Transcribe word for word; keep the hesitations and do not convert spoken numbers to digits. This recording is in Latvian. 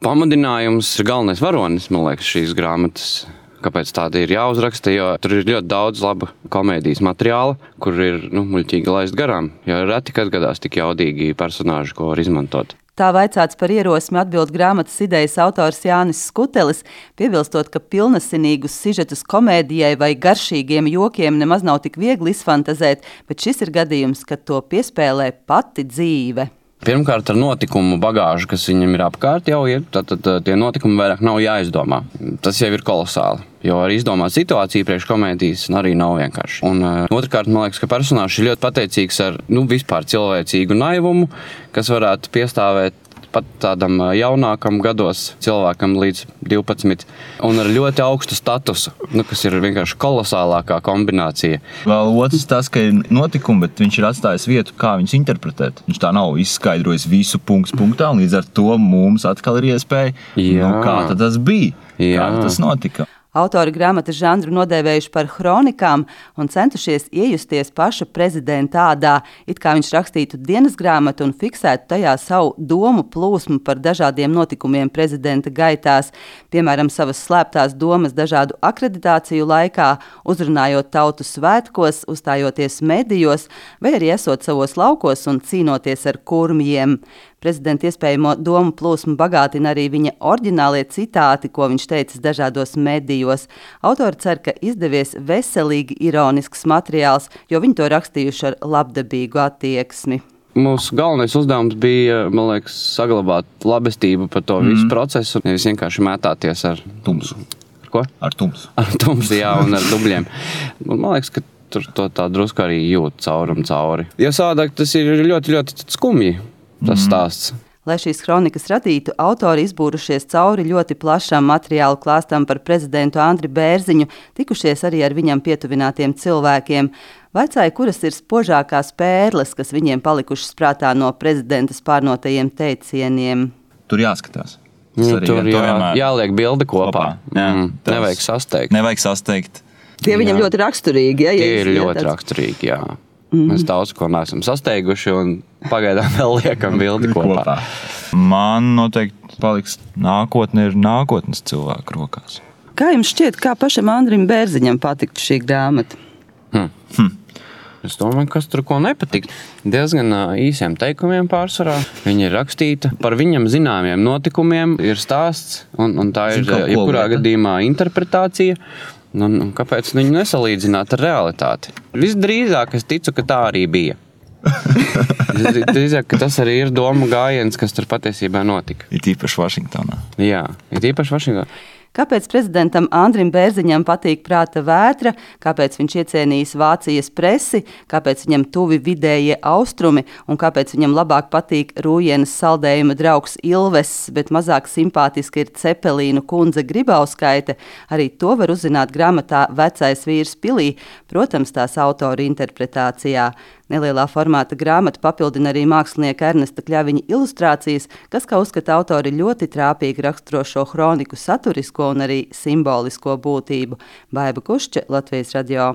Pamudinājums ir galvenais varonis, man liekas, šīs grāmatas. Kāpēc tāda ir jāuzraksta, jo tur ir ļoti daudz laba komēdijas materiāla, kur ir nu, muļķīgi laist garām, jo reti, kad gadās tik jaudīgi personāži, ko var izmantot. Tā vaicāts par ierosmi atbild grāmatas idejas autors Jānis Skutelis, piebilstot, ka pilnasinīgus sižetus komēdijai vai garšīgiem jokiem nemaz nav tik viegli izfantazēt, bet šis ir gadījums, kad to piespēlē pati dzīve. Pirmkārt, ar notikumu bagāžu, kas viņam ir apkārt, jau ir, tad, tad tie notikumi vairāk nav jāizdomā. Tas jau ir kolosāli, jo arī izdomāt situāciju priekš komēdijas arī nav vienkārši. Un uh, otrkārt, man liekas, ka personāžs ir ļoti pateicīgs ar nu, vispār cilvēcīgu naivumu, kas varētu piestāvēt pat tādam jaunākam gados cilvēkam līdz divpadsmit, un ar ļoti augstu statusu, nu, kas ir vienkārši kolosālākā kombinācija. Vēl otrs tas, ka ir notikumi, bet viņš ir atstājis vietu, kā viņus interpretēt. Viņš tā nav izskaidrojis visu punkts punktā, un līdz ar to mums atkal ir iespēja, nu, kā tad tas bija, Jā. kā tas notika. Autori grāmatas žanru nodēvējuši par hronikām un centušies iejusties paša prezidenta ādā, it kā viņš rakstītu dienas grāmatu un fiksētu tajā savu domu plūsmu par dažādiem notikumiem prezidenta gaitās, piemēram, savas slēptās domas dažādu akreditāciju laikā, uzrunājot tautu svētkos, uzstājoties medijos, vai arī esot savos laukos un cīnoties ar kurmjiem. Prezidenta iespējamo domu plūsmu bagātina arī viņa oriģinālie citāti, ko viņš teicis dažādos medijos. Autori cer, ka izdevies veselīgi ironisks materiāls, jo viņi to rakstījuši ar labdabīgu attieksmi. Mūsu galvenais uzdevums bija, man liekas, saglabāt labestību par to visu mm. procesu, nevis vienkārši mētāties ar tumsu. Ar ko? Ar tumsu. Ar tumsu, jā, un ar dubļiem. Un man liekas, ka tur to tā drusku arī jūt cauri un cauri. Jo savādāk tas ir ļoti, ļoti skumji. Tas stāsts. Lai šīs kronikas radītu, autori izbūrušies cauri ļoti plašam materiālu klāstam par prezidentu Andri Bērziņu, tikušies arī ar viņam pietuvinātiem cilvēkiem. Vaicāja, kuras ir spožākās pērles, kas viņiem palikušas prātā no prezidenta spārnotajiem teicieniem. Tur jāskatās. Nu, tur jā, jāliek bilde kopā. kopā. Jā, mm, nevajag sasteigt. Nevajag sasteigt. Tie viņam jā. ļoti raksturīgi. Ja, Tie ir ļoti raksturīgi, jā. Mm. Mēs daudz ko neesam sasteiguši un pagaidām vēl liekam bildi kopā. kopā. Man noteikti paliks nākotne ir nākotnes cilvēku rokās. Kā jums šķiet, kā pašam Andrim Bērziņam patiktu šī grāmata? Hmm. Hmm. Es domāju, kas tur ko nepatīk. Diezgan īsiem teikumiem pārsvarā. Viņa ir rakstīta par viņam zināmiem notikumiem, ir stāsts, un, un tā ir jebkurā gadījumā interpretācija. Un, un kāpēc viņu nesalīdzināt ar realitāti? Visdrīzāk es ticu, ka tā arī bija. Visdrīzāk, ka tas arī ir domu gājiens, kas tur patiesībā notika. Ir īpaši Vašingtonā. Jā, ir īpaši Vašingtonā. Kāpēc prezidentam Andrim Bērziņam patīk prāta vētra, kāpēc viņš iecienījis Vācijas presi, kāpēc viņam tuvi vidējie austrumi un kāpēc viņam labāk patīk Rūjienas saldējuma draugs Ilves, bet mazāk simpātiski ir Cepelīnu kundze Gribauskaite, arī to var uzzināt grāmatā Vecais vīrs pilī, protams, tās autora interpretācijā. Nelielā formāta grāmata papildina arī mākslinieka Ernesta Kļaviņa ilustrācijas, kas, kā uzskata autori, ļoti trāpīgi raksturo šo hroniku saturisko un arī simbolisko būtību. Baiba Kušča, Latvijas radio.